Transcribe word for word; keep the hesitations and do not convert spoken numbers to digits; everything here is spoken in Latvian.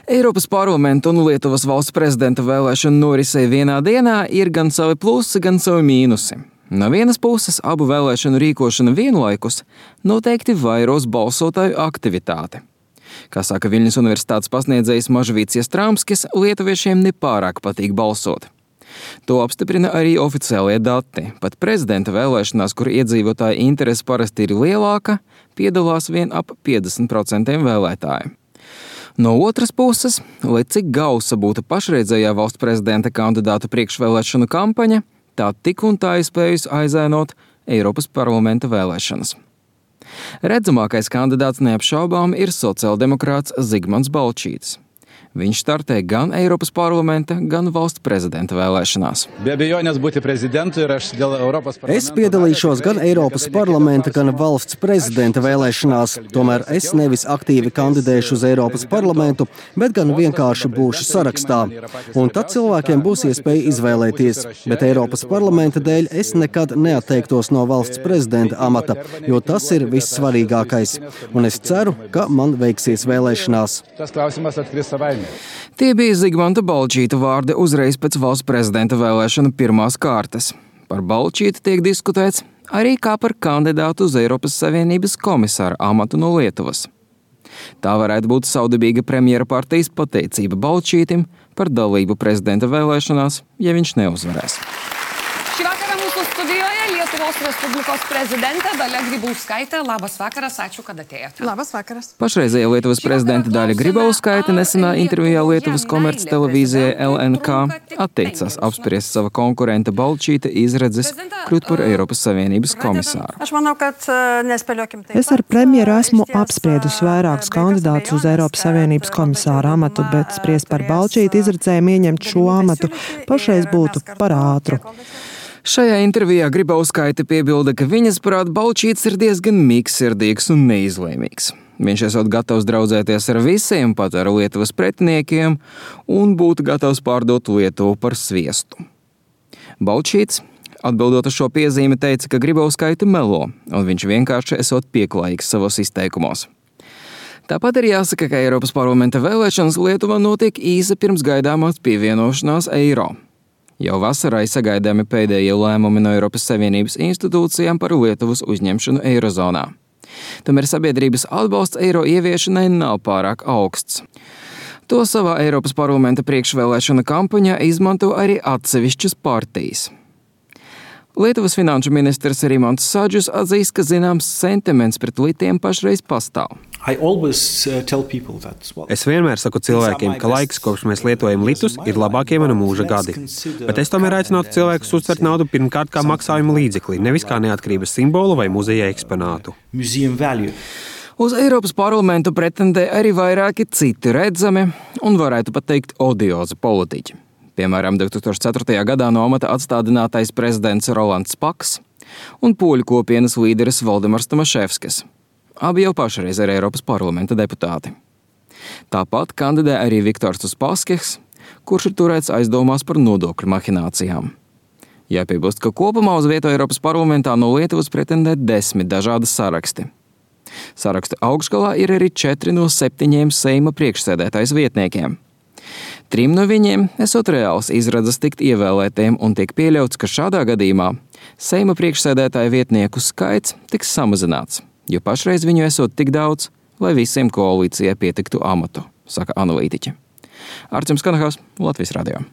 Eiropas parlamenta un Lietuvas valsts prezidenta vēlēšanu norisei vienā dienā ir gan savi plusi, gan savi mīnusi. No vienas puses, abu vēlēšanu rīkošana vienlaikus noteikti vairos balsotāju aktivitāti. Kā saka Viļņas universitātes pasniedzējs Mažvīts Jastramskis, lietuviešiem nepārāk patīk balsot. To apstiprina arī oficiālie dati. Pat prezidenta vēlēšanās, kur iedzīvotāju interese parasti ir lielāka, piedalās vien ap piecdesmit procenti vēlētāju. No otras puses, lai cik gausa būtu pašreizējā valsts prezidenta kandidāta priekšvēlēšanu kampaņa, tā tik un tā ir spējusi aizēnot Eiropas parlamenta vēlēšanas. Redzamākais kandidāts neapšaubām ir sociāldemokrāts Zigmants Balčītis. Viņš startē gan Eiropas parlamenta, gan valsts prezidenta vēlēšanās. Be abejonės būti prezidentu ir aš dėl Europos parlamento. Es piedalīšos gan Eiropas parlamenta, gan valsts prezidenta vēlēšanās. Tomēr es nevis aktīvi kandidēšu uz Eiropas parlamentu, bet gan vienkārši būšu sarakstā. Un tad cilvēkiem būs iespēja izvēlēties. Bet Eiropas parlamenta dēļ es nekad neatteiktos no valsts prezidenta amata, jo tas ir vissvarīgākais. Un es ceru, ka man veiksies vēlēšanās. Tas klausimas atkris savaime. Tie bija Zigmanta Balčīta vārdi uzreiz pēc valsts prezidenta vēlēšanu pirmās kārtas. Par Balčītu tiek diskutēts arī kā par kandidātu uz Eiropas Savienības komisāra amatu no Lietuvas. Tā varētu būt saudabīga premjera partijas pateicība Balčītim par dalību prezidenta vēlēšanās, ja viņš neuzvarēs. Šī vakarā mūsu studijoje Lietuvos Respublikos prezidente Dalia Grybauskaitė. Labas vakaras, ačiū, kad atėjote. Labas vakaras. Pašreizējā Lietuvas prezidenta Dalia Grybauskaitė nesenā intervijā Lietuvas komerc televīzijai L N K atteicās apspriest sava konkurenta Balčīta izredzes kļūt par Eiropas Savienības komisāru. Aš manau, kad nespēļokim taip. Es ar premjeru esmu apspriedusi vairākus kandidātus uz Eiropas Savienības komisāra amatu, bet spriest par Balčīta izredzēm ieņemt šo amatu pašreiz būtu par ātru. Šajā intervijā Grybauskaite piebilda, ka viņas prāt Balčīts ir diezgan mīkssirdīgs un neizlēmīgs. Viņš esot gatavs draudzēties ar visiem, pat ar Lietuvas pretiniekiem, un būtu gatavs pārdot Lietuvu par sviestu. Balčīts, atbildot uz šo piezīmi, teica, ka Grybauskaite melo, un viņš vienkārši esot pieklājīgs savos izteikumos. Tāpat ir jāsaka, ka Eiropas parlamenta vēlēšanas Lietuvā notiek īsi pirms gaidāmās pievienošanās eiro. Jau vasarai sagaidāmi pēdējie lēmumi no Eiropas Savienības institūcijām par Lietuvas uzņemšanu eirozonā. Tomēr sabiedrības atbalsts eiro ieviešanai nav pārāk augsts. To savā Eiropas parlamenta priekšvēlēšana kampaņā izmanto arī atsevišķas partijas. Lietuvas finanšu ministrs Rimantas Sadžus atzīst, ka zināms sentiments pret litiem pašreiz pastāv. Es vienmēr saku cilvēkiem, ka laiks, kopš mēs lietojam litus, ir labākie mana mūža gadi. Bet es tomēr aicinātu cilvēkus uztvert naudu pirmkārt kā maksājuma līdzekli, nevis kā neatkarības simbolu vai muzeja eksponātu. Uz Eiropas parlamentu pretendē arī vairāki citi redzami un varētu pat teikt odiozi politiķi. Piemēram, divi tūkstoši ceturtajā gadā no amata atstādinātais prezidents Rolands Paks un poļu kopienas līderis Valdemars Tomaševskis. Abi jau pašreiz ir Eiropas parlamenta deputāti. Tāpat kandidē arī Viktors Uspaskichs, kurš ir turēts aizdomās par nodokļu mahinācijām. Jāpiebilst, ka kopumā uz vietu Eiropas parlamentā no Lietuvas pretendē desmit dažādas saraksti. Sarakstu augšgalā ir arī četri no septiņiem Seima priekšsēdētājas vietniekiem. Trim no viņiem esot reāls izredzes tikt ievēlētiem un tiek pieļauts, ka šādā gadījumā Seima priekšsēdētāja vietnieku skaits tiks samazināts, jo pašreiz viņu esot tik daudz, lai visiem koalīcijai pietiktu amatu, saka analītiķi. Arčuns Kanahās, Latvijas radio.